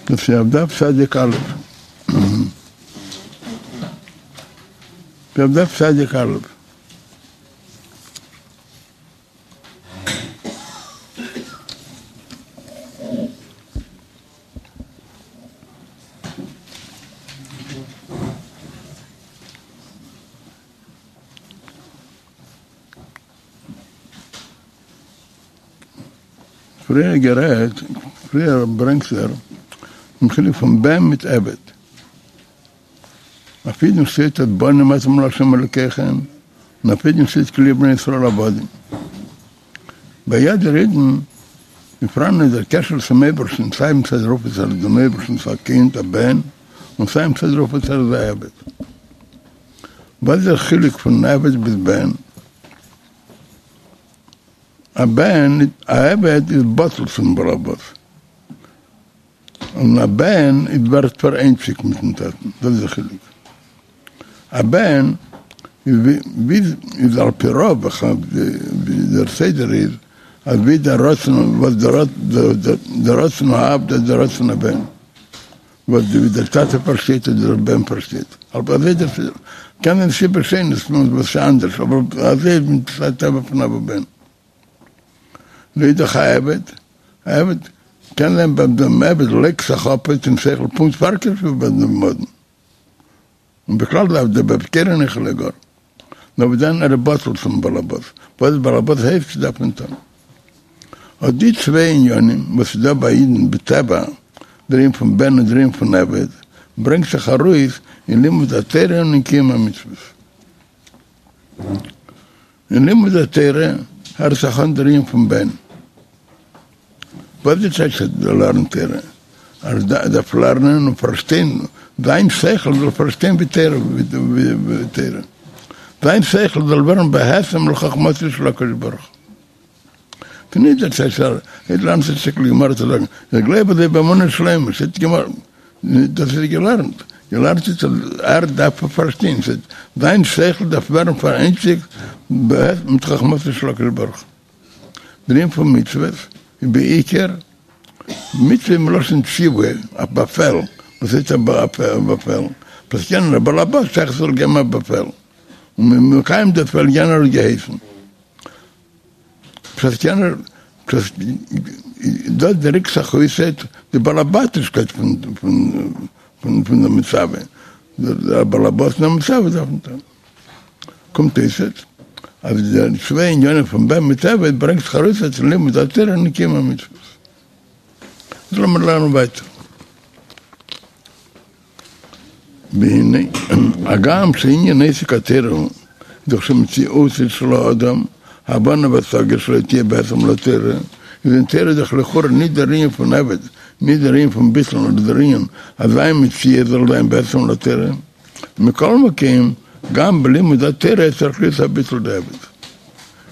דאס איז אויף דף צדיק א'. אויף דף צדיק א'. פריער גערעדט, פריער ברענגט ער דעם חילוק פון בן מיט עבד. אויף אידן שטייט אז בנים אתם לה' אלוקיכם, און אויף אידן שטייט כי לי בני ישראל עבדים. ביי יעדער אידן איז פאראן דער קשר צום אייבערשטן, סיי מצד דערויף וואס ער איז דעם אייבערשטנ'ס א קינד, א בן, און סיי מצד דערויף וואס ער איז א עבד. וואס איז דער חילוק פון עבד ביז בן? א בן, א עבד איז בטל צום בעל הבית, און א בן איז ווערט פאראיינציגט מיטן טאטן, דאס איז דער חילוק. א בן איז ווי איז על פי רוב ווי דער סדר איז, אז ווי דער רצון וואס דער רצון האב דאס דער רצון הבן. וואס ווי דער טאטע פארשטייט און דער בן פארשטייט, אבער אזוי דער סדר, קען זיין סיבות שונות וואס איז אנדערש, אבער אזוי איז מצד טבע פון אב ובן. לאידך א עבד, א עבד קען זיין ביי דעם עבד לייגט זיך אפ אין שכל פונקט פארקערט ווי ביי דעם אדון. און בכלל דארף דער בבקרן איך לגור, נאר וואס דען ער איז בטל צום באלעבאס, וואס דער באלעבאס הייסט דארף מען טון. אט די צוויי עניינים וואס איז דא ביי אידן בטבע, דער ענין פון בן און דער ענין פון עבד, ברענגט זיך ארויס אין לימוד התורה און אין קיום המצוות. אין לימוד התורה הערט זיך אן דער ענין פון בן. וואס די טייטש אז ער לערנט תורה? אז ער דארף לערנען און פארשטיין, זיין שכל זאל פארשטיין ווי תורה ווי תורה, זיין שכל זאל ווערן בהתאם לחכמתו של הקדוש ברוך הוא. ס'נישט דער טייטש אז ער לערנט א שטיקל גמרא צו זאגן איך גלייב אזוי באמונה שלימה, שטייט גמרא, דאס איז געלערנט, געלערנט איז אז ער דארף פארשטיין, זיין שכל דארף ווערן פאראיינציגט מיט חכמתו של הקדוש ברוך הוא. דער ענין פון מצוות איז בעיקר מצוה מלשון ציווי, א באפעל, וואס הייסט א באפעל? וואס יענער בעל הבית שייך זאל געבן א באפעל, און מ'איז מקיים די באפעל יענער האט געהייסן. פשט יענער פשט דאס דריקט זיך אויסעט די בעל הבתישקייט פון פון פון די מצווה, דער בעל הבית און די מצווה דארפן טון. קומט אויסעט אז די צוויי ענינים פון בן מיט עבד ברענגט זיך ארויס אין לימוד התורה און קיום המצוות. איז לאמיר לערנען ווייטער. והנה, הגם שענין עסק התורה הוא דאך שמציאותו של האדם, הבנה והשגה שלו תהיה בהתאם לתורה, איז אין תורה דאך לכאורה ניט דער ענין פון עבד, ניט דער ענין פון ביטול נאר דער ענין אז זיין מציאות זאל זיין בהתאם לתורה. מכל מקום, גם בלימוד התורה צריך להיות הביטול דעבד.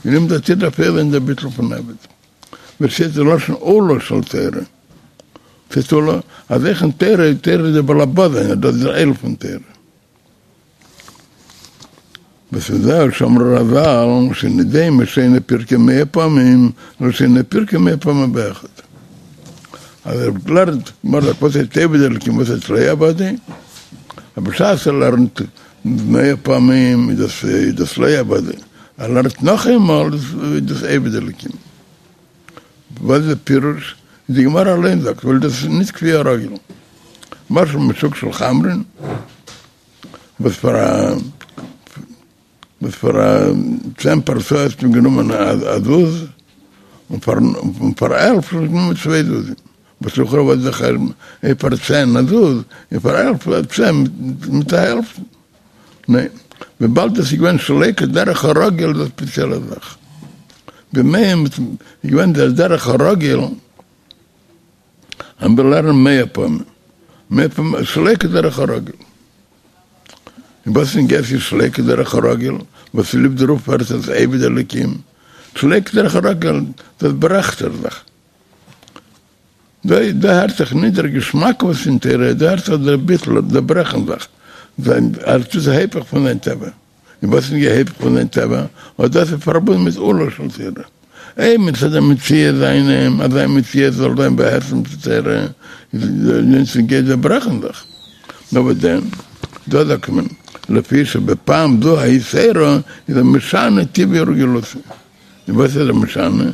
אין לימוד התורה דארף אויך זיין דער ביטול פון עבד. ווי ס'שטייט די לשון עולה של תורה. ס'הייסט עולה, אז אויך אין תורה איז תורה דער בעל הבית זיינער, דאס איז דער עול פון תורה. וזהו שאמרו רז"ל שאינו דומה שונה פרקו מאה פעמים לשונה פרקו מאה פעמים באחד. אז ער לערנט גמרא וואס הייסט עובד אלקים וואס הייסט לא עבדו, אבער בשעת ער לערנט מאה פעמים איז דאס איז דאס לא עבדו, ער לערנט נאך איינמאל איז דאס עובד אלקים. וואס איז די פירוש? די גמרא אליין זאגט ווייל דאס איז נישט כפי הרגיל. משל משוק של חמרין וואס פאר א וואס פאר א צען פרסאות האט מען גענומען א זוז, און פאר און פאר 11 האט מען גענומען צוויי זוזים, וואס לכאורה וואס איז דער חשבון, אויב פאר צען א זוז, און פאר 11 א צען מיט א העלפט, ניין, וויבאלד עס איז געווען שלא כדרך הרגיל איז א ספעציעלע זאך, בימיהם איז געווען דער דרך הרגיל אז מ'וויל לערנען מאה פעמים, מאה פעמים שלא כדרך הרגיל. און וואס איז נוגע ס'איז שלא כדרך הרגיל, וואס צוליב דערויף ווערט עס עובד אלקים, שלא כדרך הרגיל, דאס ברעכט ער זיך. דא דא הערט זיך נישט דער געשמאק וואס אין תורה, דא הערט זיך דער ביטול, דער ברעכן זיך, זיין ער טוט היפך פון זיין טבע. און וואס איז היפך פון זיין טבע? אט דאס איז פארבונדן מיט עולה של תורה. אויב מצד המציאות זיינעם, אז זיין מציאות זאל זיין בהתאם צו תורה, איז נישט נוגע דער ברעכן זיך. נאר וואס דען? דא זאגט מען, לפי שבפעם זו היתירה איז ער משנה טבעו ורגילותו. און וואס איז ער משנה?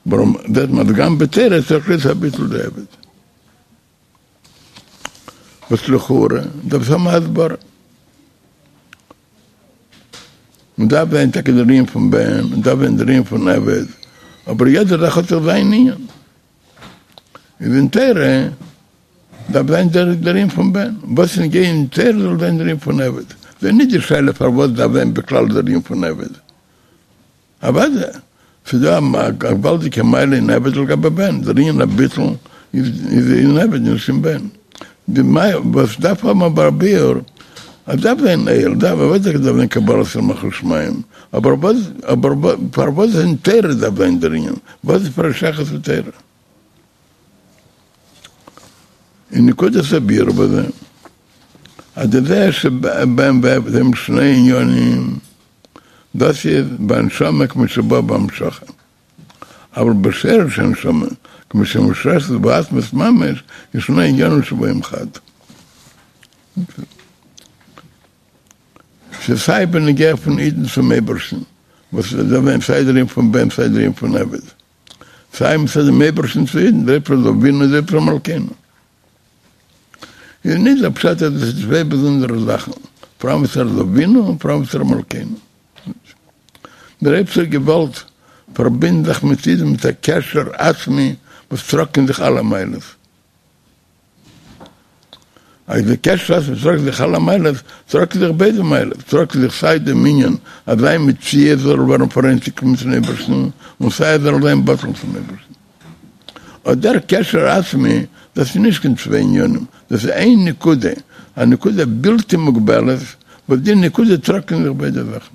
ווארום זעט מען אז גם בתורה צריך להיות הביטול דעבד. וואס לכאורה דארף עס האבן א הסברה. מען דארף זיין טאקע דער ענין פון בן, מען דארף זיין דער ענין פון עבד, אבער יעדע זאך האט זיך זיין ענין. איז אין תורה דארף זיין דער דער ענין פון בן, וואס איז נוגע אין תורה זאל זיין דער ענין פון עבד. ס'איז נישט די שאלה פארוואס דארף זיין בכלל דער ענין פון עבד. אוודאי, ס'איז דא א געוואלדיגע מעלה אין עבד לגבי בן, דער ענין הביטול איז אין עבד נישט אין בן. די מעלה וואס דארף האבן אבער א ביאור, אז דארף זיין עול, דארף אוודאי דארף זיין קבלת עול מלכות שמים, אבער וואס אבער פארוואס אין תורה דארף זיין דער ענין, וואס איז פאר א שייכות צו תורה? און נקודת הביאור בזה, אז דזה שבן ועבד הם שני ענינים, דאס איז בנשמה כמו שבא בהמשכה, אבל בשרש הנשמה כמו שמושרשת בעצמות ממש איז שני ענינים שבאים חד. ס'איז סיי בנוגע פון אידן צום אייבערשטן, וואס איז דא ווען סיי דער ענין פון בן סיי דער ענין פון עבד, סיי מצד דעם אייבערשטן צו אידן, דער אייבערשטער איז אבינו דער אייבערשטער מלכינו. איז נישט דער פשט אז דאס איז צוויי באזונדערע זאכן, פאראן וואס ער איז אבינו און פאראן וואס ער איז מלכינו. דער אייבערשטער האט געוואלט פארבינדן זיך מיט אידן מיט א קשר עצמי וואס טראגט אין זיך אלע מעלות. אז די קשר עצמי טראגט זיך אלע מעלות, טראגט זיך ביידע מעלות, טראגט זיך סיי דעם ענין אז זיין מציאות זאל ווערן פאראיינציגט מיטן אייבערשטן, און סיי ער זאל זיין בטל צום אייבערשטן. אט דער קשר עצמי, דאס איז נישט קיין צוויי ענינים, דאס איז איין נקודה, א נקודה בלתי מוגבלת, וואס די נקודה טראגט אין זיך ביידע זאכן.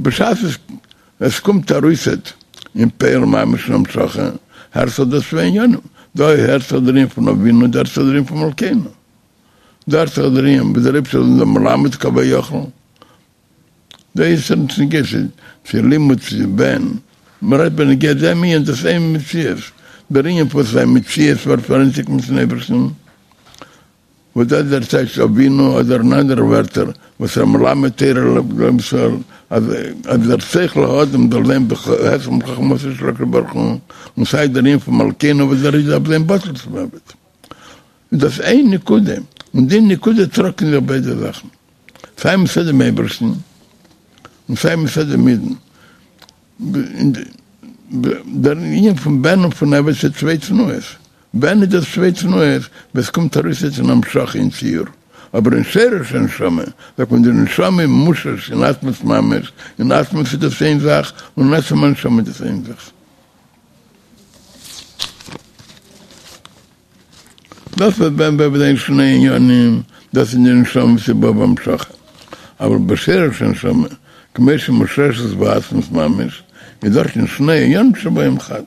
בשעת עס קומט ארויסעט אין פועל ממש אין המשכה, הערט זיך דאס צוויי ענינים, דא הערט זיך דער ענין פון אבינו, דא הערט זיך דער ענין פון מלכינו, דא הערט זיך דער ענין ווי דער אייבערשטער איז אונזער מלמד כביכול, דא איז נישט נוגע צו לימוד צו בן, מען רעדט בנוגע דעם ענין, דאס איז איין מציאות, דער ענין פון זיין מציאות ווערט פאראיינציגט מיטן אייבערשטן. וואס דאס איז דער טייטש אבינו אדער אין אנדערע ווערטער וואס ער מלמד תורה לישראל אז אז דער שכל האדם זאל זיין בהתאם לחכמתו של הקדוש ברוך הוא און סיי דער ענין פון מלכינו וואס דער איז דארף זיין בטל צום עבד איז דאס איין נקודה און די נקודה טראגט אין זיך ביידע זאכן סיי מצד דעם אייבערשטן און סיי מצד דעם אידן דער ענין פון בן און פון עבד איז צוויי תנועות. בן איז דאס צוויי תנועות ווען ס'קומט ארויס יעצט אין המשכה אין ציור, אבער אין שרש הנשמה זאגט מען די נשמה איז מושרש אין עצמות ממש, אין עצמות איז דאס איין זאך און אין עצם הנשמה איז דאס איין זאך. דאס וואס בן ועבד זענען שני ענינים, דאס איז די נשמה וואס איז בא בהמשכה, אבל בשרש הנשמה כמו שמושרשת בעצמות ממש, איז דארטן שני ענינים שבאים חד.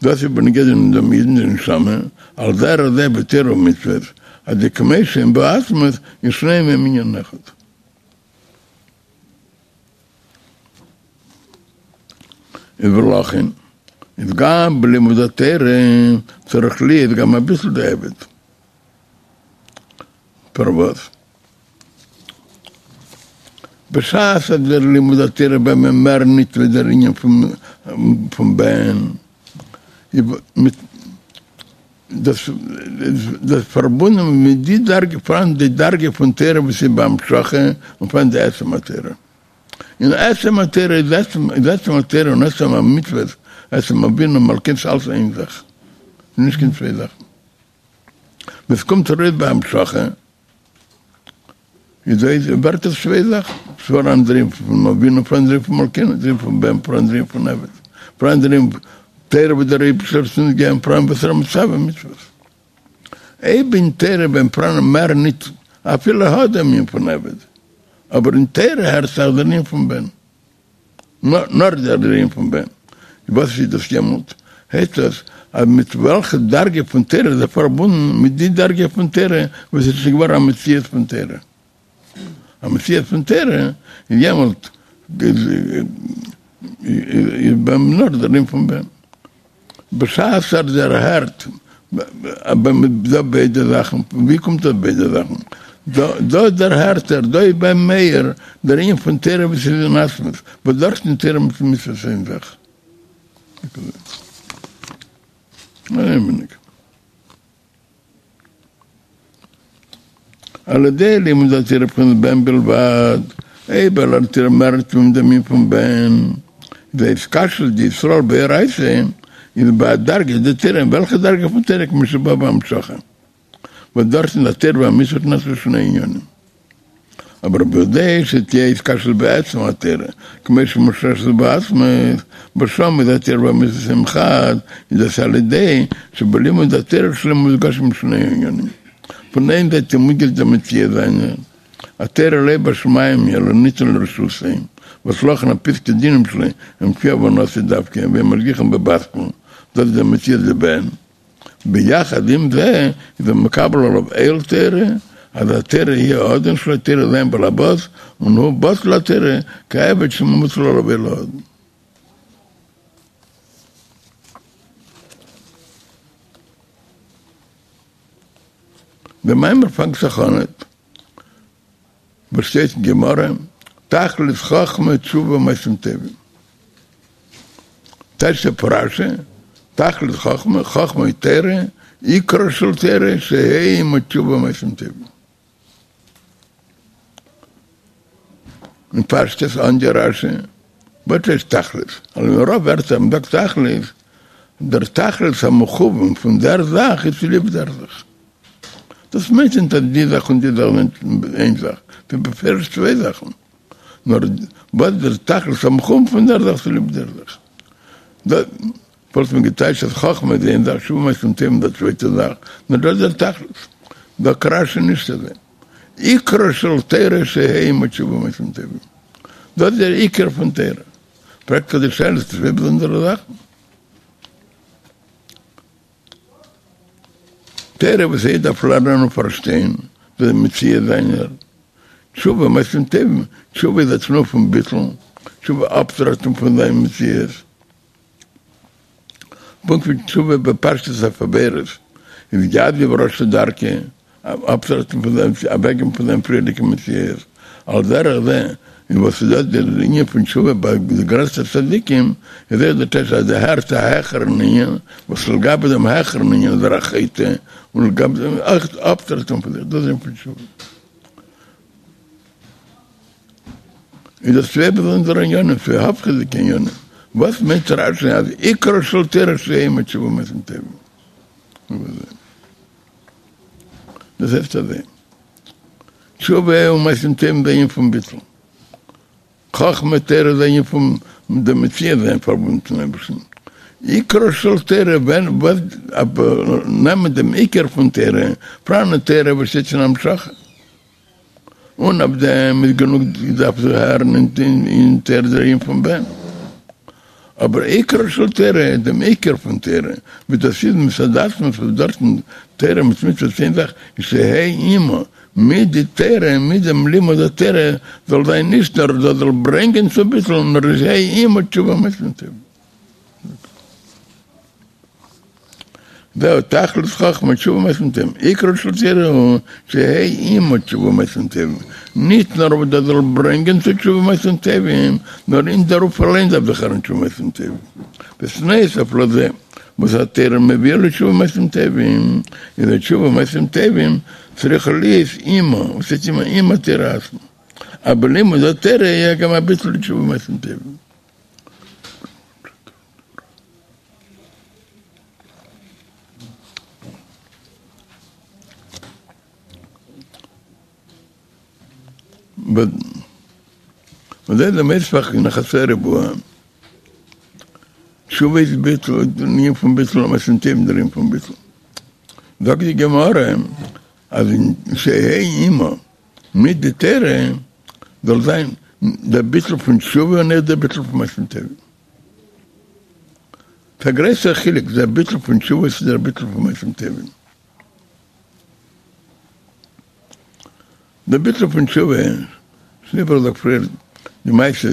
דאס איז בנוגע דעם אידן די נשמה, על דרך זה בתורה ומצוות, אז די כמו שהם בעצמות איז שניהם הם ענין אחד. איז ולכן איז גם בלימוד התורה צריך להיות גם אביטול דעבד. פארוואס? בשעת אז דער לימוד התורה ביי אים מער ניט ווי דער ענין פון בן, מיט דאס איז פארבונדן מיט די דרגה, פאראן די דרגה פון תורה וואס איז בהמשכה און פאראן די עצם התורה. אין עצם התורה איז עצם התורה און עצם המצוות, עצם אבינו מלכינו ס'איז אלס איין זאך, נישט קיין צוויי זאכן. ווען ס'קומט ארויס בהמשכה, איז דא ווערט עס צוויי זאכן, ס'פאראן דער ענין פון אבינו פאראן דער ענין פון מלכינו, דער ענין פון בן פאראן דער ענין פון עבד, פאראן דער ענין תורה וואס דער אייבערשטער האט אונז געגעבן פאראן וואס ער איז מצווה מצוות. אויב אין תורה ווען פאראן מער ניט אפילו האט דעם ענין פון עבד, אבער אין תורה הערט זיך דער ענין פון בן. נאר דער ענין פון בן. וואס איז דאס יעמאלט? הייסט דאס אז מיט וועלכע דרגה פון תורה איז ער פארבונדן מיט די דרגה פון תורה וואס איז שוין געווארן א מציאות פון תורה. א מציאות פון תורה, איז יעמאלט איז ביי אים נאר דער ענין פון בן. בשעת ער דערהערט ביי אים דא ביידע זאכן, ווי קומט דאס ביידע זאכן? דא דערהערט ער, דא איז ביי אים מאיר דער ענין פון תורה וואס איז אין עצמות, וואס דארטן איז תורה מיט מצוות איין זאך. על ידי לימוד התורה בבחינת בן בלבד, אויב ער לערנט תורה מער ניט ווי דעם ענין פון בן, די התקשרות דישראל באורייתא איז בהדרגה דתורה, אין וועלכע דרגה פון תורה כמו שבא בהמשכה, וואס דארטן איז התורה והמצוות נעשו שני ענינים. אבער בכדי שתהיה התקשרות בעצם התורה, כמו שמושרשת בעצמות, וואס שם איז התורה והמצוות הם חד, איז דאס על ידי שבלימוד התורה שלו מודגשים שני ענינים. פון איין זייט איז מודגש דער מציאות זיינער, התורה לא בשמים היא אלא ניתנה לרשותו, וואס לכן הפסקי דינים שלו הם כפי הבנתו דווקא, ואין משגיחין בבת קול, דאס איז דער מציאות דבן. ביחד עם זה איז ער מקבל עליו עול תורה, אז התורה היא האדון שלו, תורה איז זיין בעל הבית, און הוא בטל לתורה כעבד שמוטל עליו עול האדון. דער מאמר פאנגט זיך אנעט וואס שטייט אין גמרא, תכלית חכמה תשובה ומעשים טובים. טייטשט רש"י, תכלית חכמה, חכמה היא תורה, עיקרה של תורה שיהא עמה תשובה ומעשים טובים. אין פשטות אן די רש"י, וואס הייסט תכלית? על רוב ווערטער מ'זאגט תכלית, דער תכלית המכוון פון דער זאך איז צוליב דער זאך. דאס מיינט נישט אז די זאך און די זאך זענען איין זאך, ס'איז בפירוש צוויי זאכן, נאר וואס דער תכלית המכוון פון דער זאך צוליב דער זאך. דאס וואלט מען געטייטשט אז חכמה איז איין זאך, תשובה ומעשים טובים איז א צווייטע זאך, נאר דאס איז דער תכלית. זאגט רש"י נישט אזוי. עיקרה של תורה שיהא עמה תשובה ומעשים טובים. דאס איז דער עיקר פון תורה. פרעגט זיך די שאלה, ס'איז צוויי באזונדערע זאכן. תורה וואס א איד דארף לערנען און פארשטיין די מציאות זיינער, תשובה מעשים טובים, תשובה איז א תנועה פון ביטול, תשובה אפטרעטן פון זיין מציאות, פונקט ווי תשובה בפשטות אויף עבירות איז יעזוב רשע דרכו, אפטרעטן פון זיין, אוועקגיין פון זיין פריערדיגע מציאות, על דרך זה איז וואס איז דאס דער ענין פון תשובה ביי די גרעסטע צדיקים, איז אויך דער טייטש אז ער דערהערט א העכערן ענין, וואס לגבי דעם העכערן ענין איז ער א חוטא, און לגבי דעם אויך אפטרעטן פון זיך, דאס איז ענין פון תשובה. איז דאס צוויי באזונדערע ענינים, צוויי הפכי'דיגע ענינים, וואס מיינט רש"י אז עיקרה של תורה שיהא עמה תשובה ומעשים טובים? דאס הייסט אזוי, תשובה און מעשים טובים איז א ענין פון ביטול, חכמה תורה איז א ענין פון די מציאות זיין פארבונדן צום אייבערשטן, עיקרה של תורה ווען וואס נעמען דעם עיקר פון תורה, פאראן א תורה וואס שטייט אין המשכה. און אויף דעם איז גענוג דארף זיך הערן אין תורה דער ענין פון בן. אבער עיקרה של תורה, דעם עיקר פון תורה, ווי דאס איז מצד עצמו וואס דארטן תורה מיט מצוות איין זאך, איז שיהא עמה, מיט די תורה, מיט דעם לימוד התורה, זאל זיין נישט נאר דאס זאל ברענגען צו ביטול, נאר שיהא עמה תשובה ומעשים טובים. זהו תכלית חכמה תשובה ומעשים טובים, עיקרה של תורה הוא שיהא עמה תשובה ומעשים טובים, נישט נאר וואס דאס זאל ברענגען צו תשובה ומעשים טובים, נאר אין דערויף אליין דארף זיך הערן תשובה ומעשים טובים. ונוסף לזה וואס התורה מביאה לתשובה ומעשים טובים, איז התשובה ומעשים טובים צריכה להיות עמה, וואס הייסט עמה? עם התורה עצמה, אז בלימוד התורה יהיה גם הביטול לתשובה ומעשים טובים. וזה דער מוסף אין חצי ריבוע. תשובה איז ביטול, דער ענין פון ביטול, מעשים טובים דער ענין פון ביטול. זאגט די גמרא אז אין שיהא עמה מיט די תורה זאל זיין דער ביטול פון תשובה און אויך דער ביטול פון מעשים טובים. ס'איז א גרויסער חילוק דער ביטול פון תשובה צו דער ביטול פון מעשים טובים. דער ביטול פון תשובה. שוין איבערגעזאגט פריער די מעשה,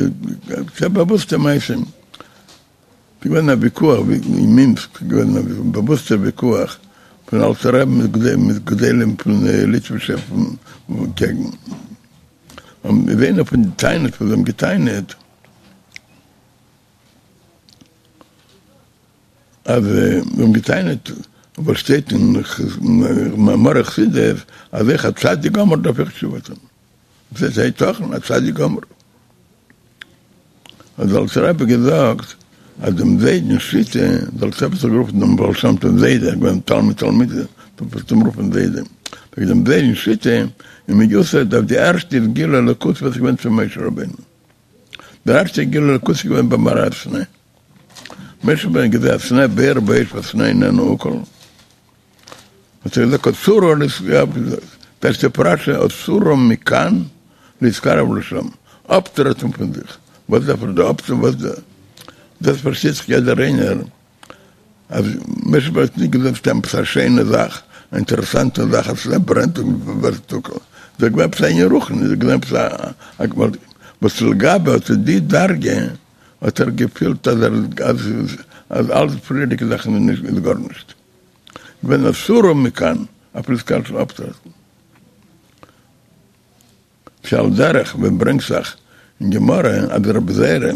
ס'איז א באוואוסטע מעשה, ס'איז געווען א ויכוח אין מינסק, ס'איז געווען א באוואוסטער ויכוח פון אלטער רבי מיט גדולים פון ליטווישע קעגן, און איינע פון די טענות וואס זיי האבן געטענה'ט, אז זיי האבן געטענה'ט וואס שטייט אין מאמרי חסידות אז אויך א צדיק גמור דארף אויך תשובה טון, וואס איז היתכן א צדיק גמור? האט דער אלטער רבי געזאגט אז דעם זיידנ'ס שיטה, דער אלטער רבי האט זיך גערופן דעם בעל שם טוב זיידע, געווען תלמיד תלמידו, פלעגט אים רופן זיידע, זאגט דעם זיידנ'ס שיטה איז מיוסד אויף די ערשטע גילוי אלוקות וואס איז געווען צו משה רבינו, דער ערשטער גילוי אלוקות איז געווען במראה הסנה. משה רבינו האט געזען א סנה בוער באש והסנה איננו אוכל. האט ער געזאגט אסורה טייטשט אפ רש"י אסורה מכאן להתקרב לשם, אפטרעטן פון זיך, וואס דארף ער דא אפטון, וואס דא, דאס פארשטייט זיך יעדער איינער אז משה רבינו האט נישט געזען סתם עפעס א שיינע זאך, א אינטערעסאנטע זאך אז סנה ברענט און ווערט אוכל, דאס איז געווען עפעס א ענין רוחני, דאס איז געווען עפעס א וואס לגבי אט די דרגה האט ער געפילט אז ער אז אלע פריערדיגע זאכן איז נישט איז גארנישט געווען אסורה מכאן אויף להתקרב אפטרעטן. שעל דרך ווי ברענגט זיך אין גמרא אז רבי זירא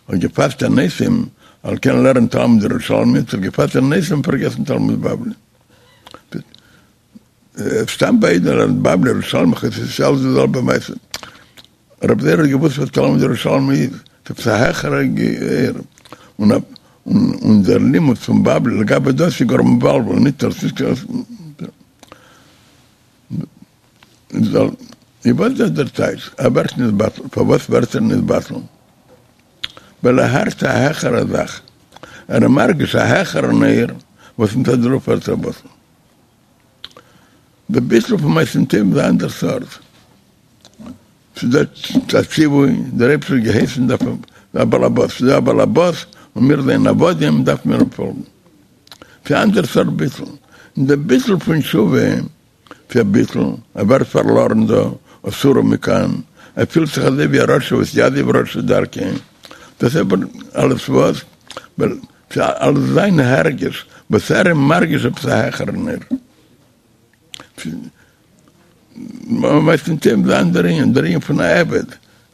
האט געפאסט תעניתים על כן לערנט תלמוד ירושלמי האט ער געפאסט תעניתים און פארגעסן תלמוד בבלי. סתם ביידע לערנט בבלי ירושלמי ס'איז אלס די זעלבע מעשה. רבי זירא האט געוואוסט וואס תלמוד ירושלמי איז, ס'איז עפעס א העכערע אור, און און דער לימוד פון בבלי לגבי דאס איז גאר מבלבל, נישט אלס נישט אלס איז וואס איז דער טייטש? ער ווערט נתבטל, פארוואס ווערט ער נתבטל? ווייל ער הערט א העכערע זאך, ער איז מרגיש א העכערן אור וואס מצד דערויף ווערט ער בטל. די ביטול פון מעשים טובים איז א אנדער סארט. ס'איז דא א ציווי, דער אייבערשטער האט געהייסן דארף מען, א באלעבאס, ס'איז דא א באלעבאס און מיר זענען עבדים דארף מיר אים פאלגן. ס'איז א אנדער סארט ביטול. און די ביטול פון תשובה ס'איז א ביטול, ער ווערט פארלארן דא, אסורה מכאן, ער פילט זיך אזוי ווי א רשע וואס יעזוב רשע דרכו, דאס איז אבער אלעס וואס? ווייל ס'איז אלעס זיין הרגש, וואס ער איז מרגיש עפעס א העכערן אור. מעשים טובים איז א אנדערע ענין, דער ענין פון א עבד,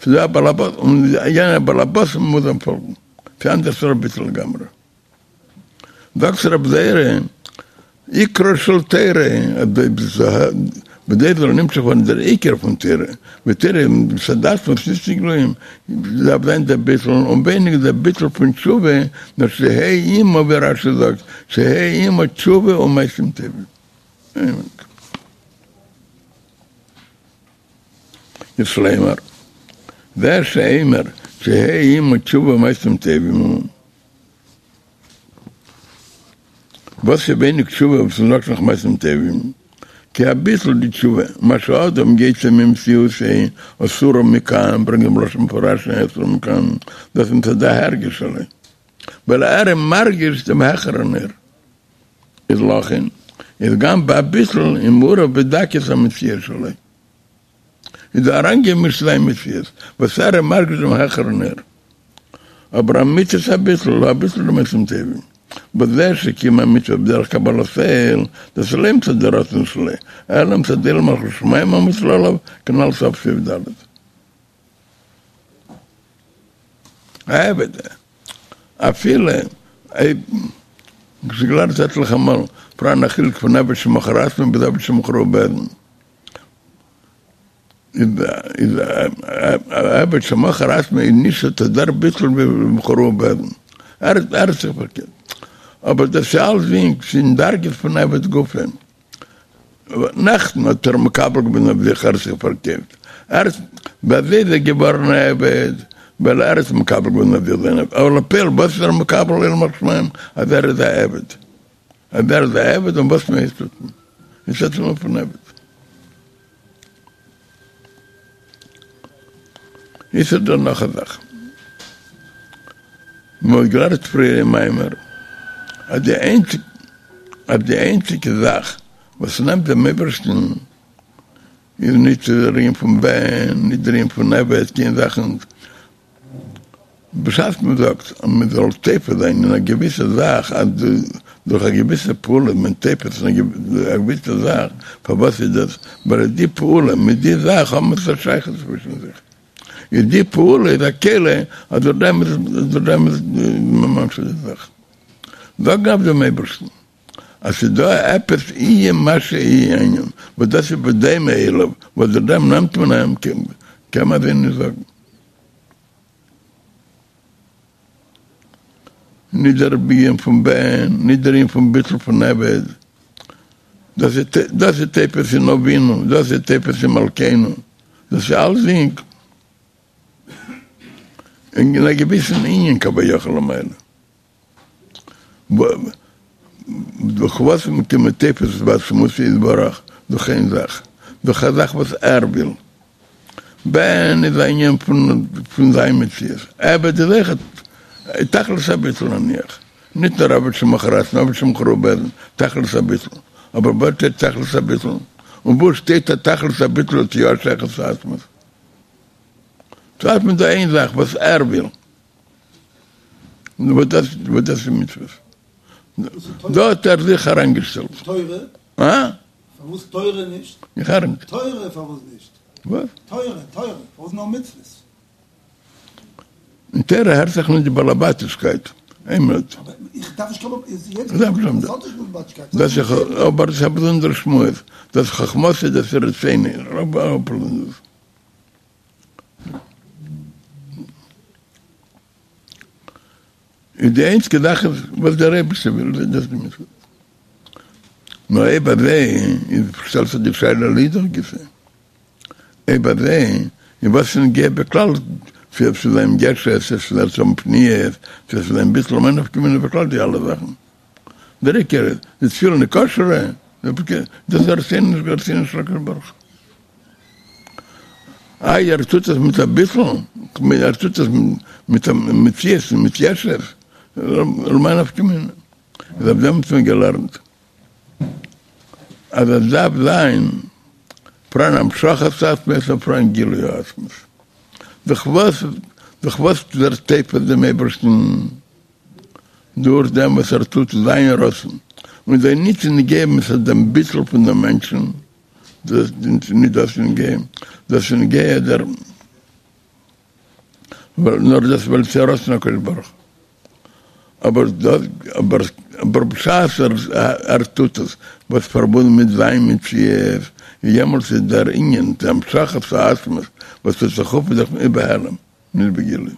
ס'איז דא א בעל הבית, און יענער בעל הבית מוז אים פאלגן, ס'איז אנדערע סארט ביטול לגמרי. זאגט רב זירא, עיקרה של תורה, בכדי זאל נמשך ווערן דער עיקר פון תורה, ותורה מצד עצמה איז נישט נגלויים, דארף זיין דער ביטול, און ווייניגער דער ביטול פון תשובה, נאר שיהא עמה ווי רש"י זאגט, שיהא עמה תשובה ומעשים טובים. יש לומר, זה שאומר שיהא עמה תשובה ומעשים טובים, וואס איז ווייניג תשובה וואס מ'זאגט נאך מעשים טובים, כי הביטול דתשובה, מה שאדם יוצא ממציאותו אסורה מכאן, ברענגט דעם לשון מפורש אסורה מכאן, דאס איז מצד ההרגש שלו, ווייל ער איז מרגיש דעם העכערן אור, איז לכן איז גם בהביטול איז מעורב בדקות המציאות שלו. איז דא אריינגעמישט זיין מציאות וואס ער איז מרגיש דעם העכערן אור. אבער אמיתית הביטול הוא הביטול דמעשים טובים. בזה שקיים המצוה בדרך קבלת עול, דאס איז לא מצד די רצון שלו, אלא מצד עול מלכות שמים המוטל עליו, כנ"ל סוף סעיף ד'. העבד, אפילו אויב כ'האב געלערנט עטליכע מאל פאראן א חילוק פון עבד שמכר עצמו ביז עבד שמכרו בית דין. איז א עבד שמכר עצמו איז נישט אט דער ביטול ווי מכרוהו בית דין, ער האט זיך פארקערט, אבער דאס איז אלסדינג אין דרגות פון עבד גופא, נעכטן האט ער מקבל געווען אויף זיך ער האט זיך פארקויפט, ער האט ווי אזוי איז ער געווארן א עבד, ווייל ער האט מקבל געווען אויף זיך זיין עבד, אבער לפועל וואס איז ער מקבל עול מלכות שמים אז ער איז א עבד, אז ער איז א עבד און וואס מען הייסט טוט מען, איז עס א פון עבד. איז דא נאך א זאך. מען האט געלערנט פריער אין מאמר אז די איינציג אז די איינציגע זאך וואס נעמט דעם אייבערשטן. איז ניט דער ענין פון בן, ניט דער ענין פון עבד, קיין זאכן. בשעת מען זאגט אז מען זאל תופס זיין אין א געוויסע זאך, אז דורך א געוויסע פעולה איז מען תופס אין א געוויסע זאך, פארוואס איז דאס? ווייל די פעולה מיט די זאך האבן עפעס א שייכות צווישן זיך. איז די פעולה איז א כלי אז דורך דעם איז דורך דעם איז מען ממשיך די זאך. זאגן אויף דעם אייבערשטן אז ס'איז דא עפעס יהיה מה שיהיה הענין וואס דאס איז בדומה אליו וואס דורך דעם נעמט מען אים, קען מען אזוי נישט זאגן. נישט דער ענין פון בן, נישט דער ענין פון ביטול פון עבד, דאס איז תופס אין אבינו, דאס איז תופס אין מלכינו, דאס איז אלסדינג אין א געוויסן ענין כביכול למעלה. דורך וואס איז מען תופס בעצמותו יתברך? דורך איין זאך, דורך א זאך וואס ער וויל. בן איז א ענין פון זיין מציאות, עבד איז אויכעט תכלית הביטול נניח, נישט נאר עבד שמכר עצמו, עבד שמכרוהו בית דין, תכלית הביטול, אבער וואס שטייט תכלית הביטול? און וואו שטייט אז תכלית הביטול האט יא א שייכות צו עצמות? צו עצמות איז דא איין זאך וואס ער וויל. וואס דאס וואס דאס איז מצוות. דא האט ער זיך אריינגעשטעלט. תורה? הא? פארוואס תורה נישט? איך הער נישט. תורה פארוואס נישט? וואס? תורה, תורה, פארוואס נאר מצוות? אין תורה הערט זיך נישט די באלעבאטישקייט. איין מינוט. אבער איך דארף נישט קיין באלעבאטישקייט. דאס איז אבער דאס איז א באזונדערע שמועס. דאס איז חכמתו דאס איז רצונו. איז די איינציגע זאך איז וואס דער אייבערשטער וויל איז דאס די מצוה. נאר אויב אזוי איז שטעלט זיך די שאלה לאידך גיסא, אויב אזוי איז וואס איז נוגע בכלל צו עס זאל זיין ישות, צו עס זאל האבן פניות, צו עס זאל זיין ביטול, למאי נפקא מינה בכלל די אלע זאכן? דער עיקר איז די תפילין איז כשר'ע, דאס איז רצונו רצונו של הקדוש ברוך הוא. איי ער טוט עס מיט א ביטול, כ'מיין ער טוט עס מיט א מציאות און מיט ישות, למאי נפקא מינה? איז אויף דעם האט מען געלערנט אז עס דארף זיין פאראן המשכת עצמות און פאראן גילוי העצמות. דורך וואס דורך וואס ווערט תופס דעם אייבערשטן? דורך דעם וואס ער טוט זיין רצון, און ס'איז ניט נוגע מצד דעם ביטול פון דעם מענטשן. דאס איז נישט דאס נוגע, דאס איז נוגע דער נאר דאס ווייל ס'איז רצון הקדוש ברוך הוא, אבער דאס אבער אבער בשעת ער טוט עס וואס פארבונדן מיט זיין מציאות, יעמאלטס איז דער ענין די המשכת העצמות וואס טוט זיך אויף איז דאך בהעלם נישט בגילוי.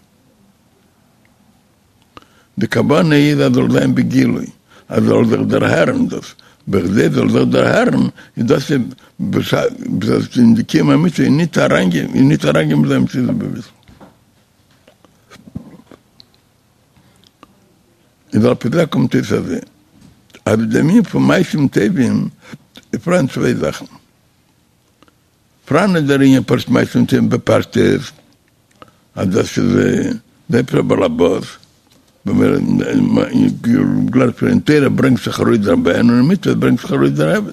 די כוונה איז אז זאל זיין בגילוי, אז זאל זיך דערהערן דאס, בכדי זאל זיך דערהערן איז דאס איז בשעת אין די קיום המצוה איז ניט אריינגיין איז ניט אריינגיין מיט זיין מציאות בביטול. איז על פי זה קומט אויס אזוי, אז דער ענין פון מעשים טובים איז פאראן צוויי זאכן, פאראן איז דער ענין פשוט מעשים טובים בפשטות, אז דאס איז דער אייבערשטער באלעבאס, גלייך אין תורה ברענגט זיך ארויס דער בן און אין מצוות ברענגט זיך ארויס דער עבד.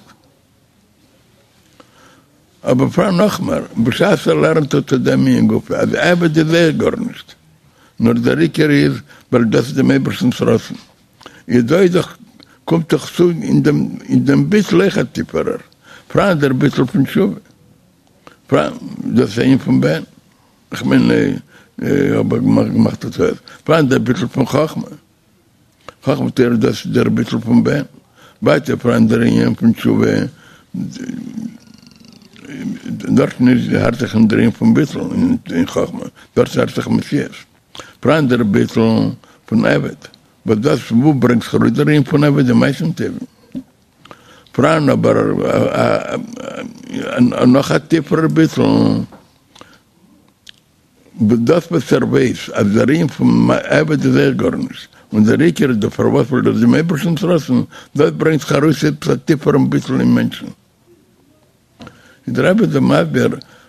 אבער פאראן נאכמער, בשעת ער לערנט אט דעם ענין גופא אז עבד איז אויך גארנישט, נאר דער עיקר איז ווייל דאס איז דעם אייבערשטנ'ס רצון, איז דא איז דאך קומט דאך צו אין דעם אין דעם ביטול אויך א טיפערער, פאראן דער ביטול פון תשובה. פאראן דאס ענין פון בן, איך מיין האב איך געמאכט א טעות, פאראן דער ביטול פון חכמה, חכמה תורה דאס איז דער ביטול פון בן, ווייטער פאראן דער ענין פון תשובה, דארטן איז הערט זיך נישט דער ענין פון ביטול אין חכמה, דארט הערט זיך מציאות, פאראן דער ביטול פון עבד, וואס דאס וואו ברענגט זיך ארויס דער ענין פון עבד אין מעשים טובים. פאראן אבער נאך א טיפערער ביטול, דאס וואס ער ווייס אז דער ענין פון עבד איז אויך גארנישט, און דער עיקר איז דער פארוואס ווייל דאס איז דעם אייבערשטנ'ס רצון, דאס ברענגט זיך ארויס עפעס א טיפערן ביטול אין מענטשן. איז דער רבי דא מסביר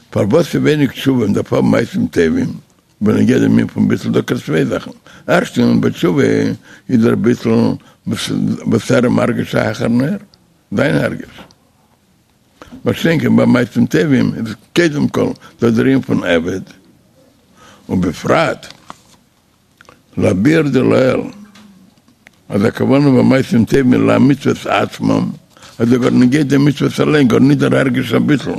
פארוואס איז ווייניג תשובה און דארף האבן מעשים טובים, בנוגע דעם ענין פון ביטול דוקא צוויי זאכן, ערשטנס בתשובה איז דער ביטול וואס ער איז מרגיש א העכערן אור, זיין הרגש. מה שאין כן ביי מעשים טובים איז קודם כל דא דער ענין פון עבד, ובפרט לביאור דלעיל אז הכוונה במעשים טובים למצוות עצמם, אז דא גאר נוגע די מצוות אליין, גאר ניט דער הרגש הביטול,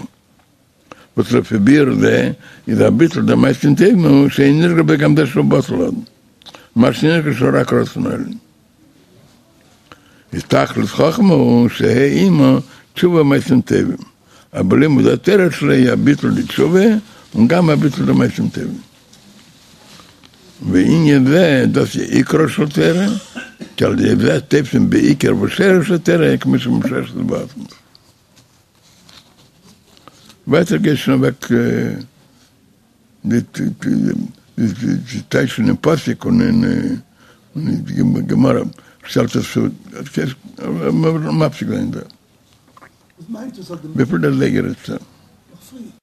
וואס לפי ביאור זה איז הביטול דמעשים טובים הוא שאין נרגש בו גם זה שהוא בטל עוד, מה שנרגש שהוא רק רצון העליון. איז תכלית חכמה הוא שיהא עמה תשובה ומעשים טובים, אבל לימוד התורה שלו היא הביטול דתשובה און גם הביטול דמעשים טובים. וענין זה דאס איז עיקרה של תורה, כי על ידי זה תופסים בעיקר ושורש התורה כמו שמושרשת בעצמות. ווייטער גייט שוין אוועק די טייטשן אין פסוק און אין גמרא שטעלט עס צו, מפסיק זיין דא. וואס מיינט עס אז די וויפיל דער זייגער איז? נאך פרי.